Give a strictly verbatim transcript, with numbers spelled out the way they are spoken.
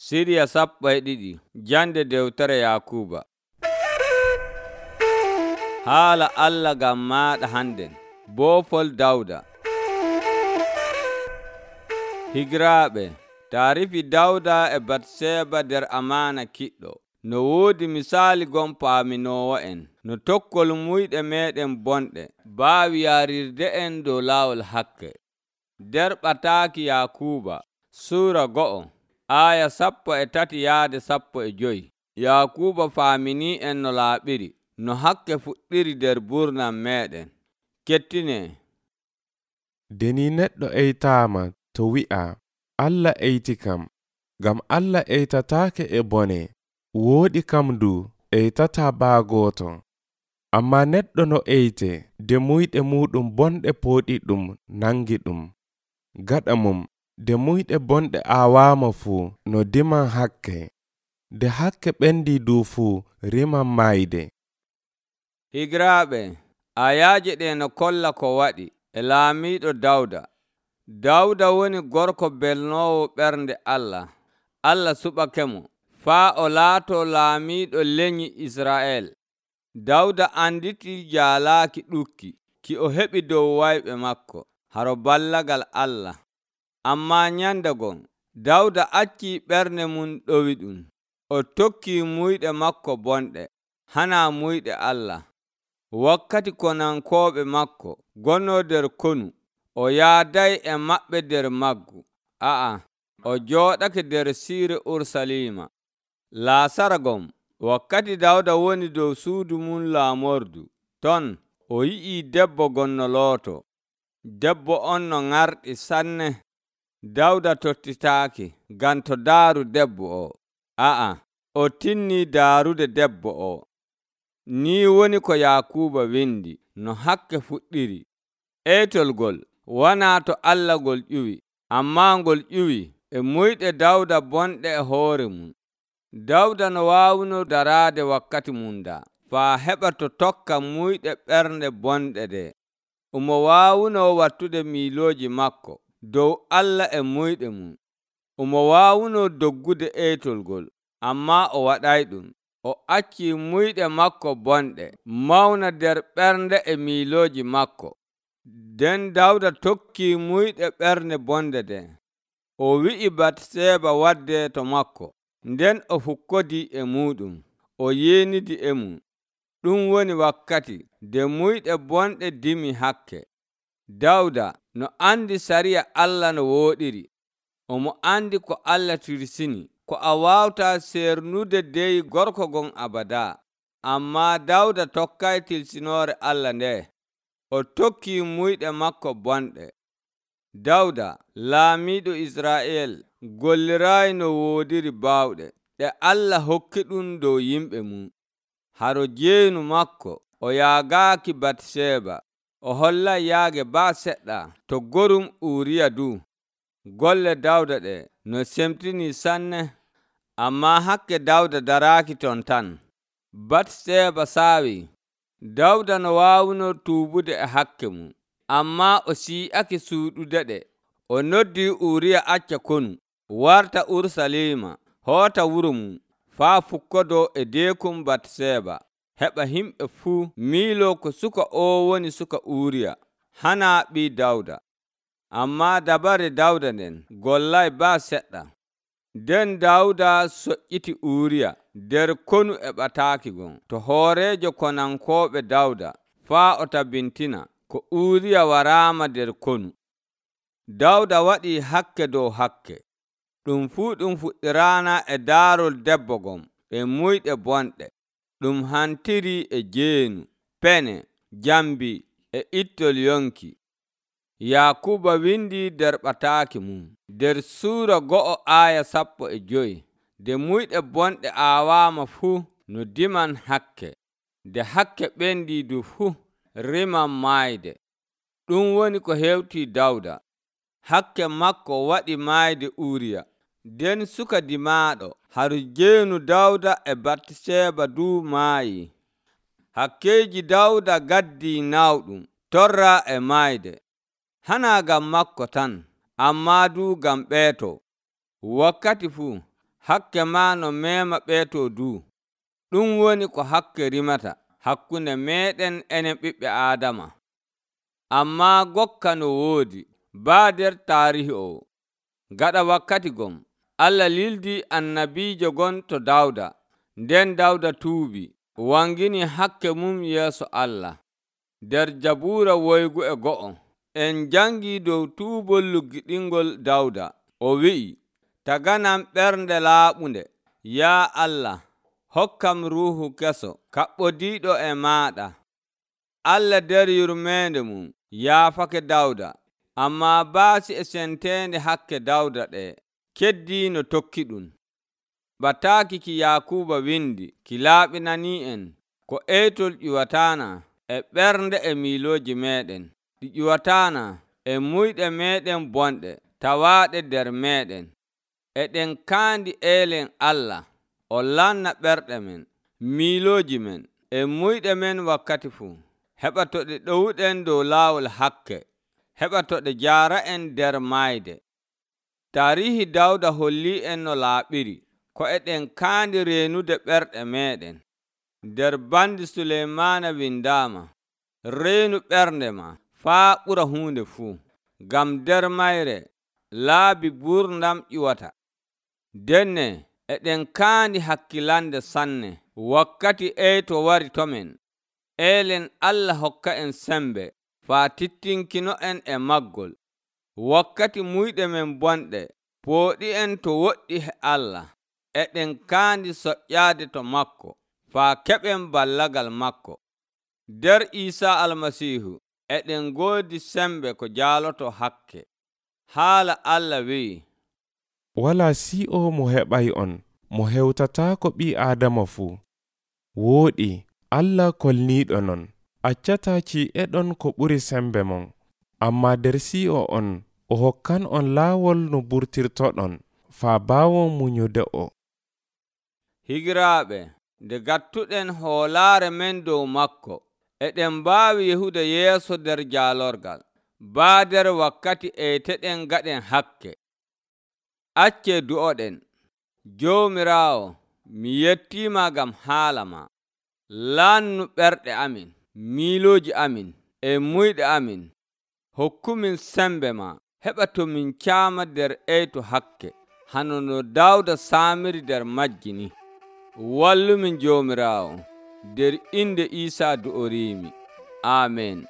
Siriya sappo e ɗiɗi jande dewtere Yakuba. Haala Allah ngam maaɗa hannden. Boofol Dawda. Higiraaɓe, taarifi Dawda e Batseba nder amaana kiɗɗo. No woodi misaali gon paaminoowo'en, no tokkol muyɗe meeɗen bonɗe baawi yaarirde'en dow laawol hakke. Nder ɓataaki Yakuba, suura go'o, aya sappo e tati yaade sappo e joyi. Yakuba faamini'en no laaɓiri, no hakke fuɗɗiri nder burnam meeɗen. Kettinee. Deni neɗɗo eytaama to wi'a, Allah eyti kam, ngam Allah eytataake e bone, wooɗi kam ndu eytataa baagooto. Ammaa neɗɗo no eyte, de muyɗe muuɗum bonɗe pooɗi ɗum nangi ɗum. Gaɗa mum, de muyɗe bonɗe aawaama fuu no diman hakke, de hakke ɓendi du fuu riman maayde. Higiraaɓe, ayaaje ɗe no kolla ko waɗi e laamiiɗo Dawda. Dawda woni gorko belnoowo ɓernde Allah. Allah suɓakemo faa o laatoo laamiiɗo lenyi Isra'el. Dawda anditi jaalaaki ɗukki ki o heɓi dow wayɓe makko haro ballagal Allah. Ammaa nyande gon Dawda accii ɓernde mum ɗowi ɗum. O tokkii muyɗe makko bonɗe, hana muyɗe Allah. Wakkati konankooɓe makko gonno nder konu, o yaaday e maɓɓe nder maggu. A'a, o jooɗake nder siire Urusalima. Laasara gom, wakkati Dawda woni dow suudu mum laamordu, ton o yi'ii debbo gonno looto. Debbo on no ŋarɗi sanne. Dawda tottitaaki ngam to daaru debbo o. A'a, o tinnii daarude debbo o. Ni woni ko Yakuba windi no hakke fuɗɗiri. Eytol gol wanaa to Allah ngol ƴuwi, ammaa ngol ƴuwi e muyɗe Dawda bonɗe e hoore mum. Dawda no waawno daraade wakkati mum daa, faa heɓa to tokka muyɗe ɓernde bonɗe ɗe. Omo waawno wattude miilooji makko dow Allah e muyɗe mum. Omo waawno doggude eytol gol, ammaa o waɗay ɗum. O accii muyɗe makko bonɗe mawna nder ɓernde e miilooji makko. Nden Dawda tokkii muyɗe ɓernde bonɗe ɗen. O wi'i Batseba wadde to makko, nden o fukkodii e muuɗum, o yeenidi e mum. Ɗum woni wakkati nde muyɗe bonɗe dimi hakke. Dawda no andi sariya Allah no wooɗiri. Omo andi ko Allah tirsini, ko a waawta sernude dey gorko gon abada. Ammaa Dawda tokkay tirsinoore Allah nde. O tokkii muyɗe makko bonɗe. Dawda, laamiiɗo Isra'el, golliraayi no woodiri baawɗe ɗe Allah hokki ɗum dow yimɓe mum. Haro jeenu makko, o yaagaaki Batseba. O hollay yaage baa seɗɗa to gorum Uuriya du. Golle Dawda ɗe no semtinii sanne. Ammaa hakke Dawda daraaki ton tan. Batseba saawi. Dawda no waawno tuubude e hakke mum, ammaa o sii'ake suuɗude ɗe. O noddii Uuriya acca konu, warta Urusalima, hoota wuro mum, faa fukkodoo e deekum Batseba, heɓa yimɓe fuu miiloo ko suka o woni suka Uuriya, hana ɓii Dawda. Ammaa dabare Dawda nden gollay baa seɗɗa. Nden Dawda soƴƴiti Uuriya nder konu e ɓataaki gon to hooreejo konankooɓe Dawda, faa o tabbintina ko Uuriya waraama nder konu. Dawda waɗii hakke dow hakke. Ɗum fuu ɗum fuɗɗiraana e daarol debbo gon e muyɗe bonɗe. Ɗum hantiri e jeenu, pene, jambi e ittol yonki. Yakuba windi nder ɓataaki mum, nder suura go'o aya sappo e joyi. De muyɗe bonɗe aawaama fuu no diman hakke, de hakke ɓendi du fuu riman maayde. Ɗum woni ko hewtii Dawda. Hakke makko waɗi maayde Uuriya. Nden suka dimaaɗo haru jeenu Dawda e Batseba du maayi. Hakkeeji Dawda gaddii nawɗum torra e maayde. Hana ngam makko tan, ammaa du ngam ɓeeto. Wakkati fuu hakke maa no meema ɓeeto duu. Ɗum woni ko hakke rimata hakkunde meeɗen enen ɓiɓɓe Aadama. Ammaa gokka no woodi baa nder taarihi o. Gaɗa wakkati gon, Allah lildii annabiijo gon to Dawda. Nden Dawda tuubi, wangini hakke mum yeeso Allah. Nder Jabuura woygu e go'o, en jangii dow tuubol luggiɗingol Dawda. O wi'i, taganam ɓernde laaɓunde, yaa Allah, hokkam ruuhu keso kaɓɓodiiɗo e maaɗa. Allah nder yurmeende mum yaafake Dawda, ammaa baasi e senteende hakke Dawda ɗe keddii no tokki ɗum. Bataaki ki Yaakuuba windi ki laaɓinanii en ko eytol ƴiwataana e ɓernde e miilooji meeɗen. Ɗi ƴiwataana e muyɗe meeɗen bonɗe tawaaɗe nder meeɗen. Eɗen kaandi eelen Allah o lanna ɓerɗe men, miilooji men e muyɗe men wakkati fuu. Heɓa to ɗe ɗowuɗen dow laawol hakke, heɓa to ɗe jaara en nder maayde. Taarihi Dawda hollii en no laaɓiri ko eɗen kaandi reenude ɓerɗe meeɗen. Nder bandi Suleymaana windaama, reenu ɓernde ma faa ɓura huunde fuu, ngam nder mayre laabi gurdam ƴiwata. Denne eɗen kaandi hakkilande sanne wakkati eyto wari to men. Eelen Allah hokka en sembe faa tittinkino en e maggol. Wakkati muyɗe men bonɗe pooɗi en to woɗɗi he Allah. Eɗen kaandi soƴƴaade to makko faa keɓen ballagal makko. Nder Iisaa Almasiihu eɗen ngoodi sembe ko jaaloto hakke. Haala Allah wi'i, walaa si'o mo heɓay on mo hewtataako ɓii Aadama fuu. Wooɗi Allah kolniiɗo non, accataa ci'eɗon ko ɓuri sembe mon, ammaa nder si'o on o hokkan on laawol no burtirtoɗon faa baawon munyude o. Higiraaɓe, nde gattuɗen hoolaare men dow makko, eɗen mbaawi yehude yeeso nder jaalorgal, baa nder wakkati eyteɗen gaɗen hakke. Accee du'oɗen. Joomiraawo, mi yettiima ngam haala ma. Laannu ɓerɗe amin, miilooji amin, e muyɗe amin. Hokkumin sembe ma, heɓa to min caama nder eyto hakke, hano no Dawda saamiri nder majji ni. Wallumin Joomiraawo, nder inde Iisaa du'oriimi. Aamen.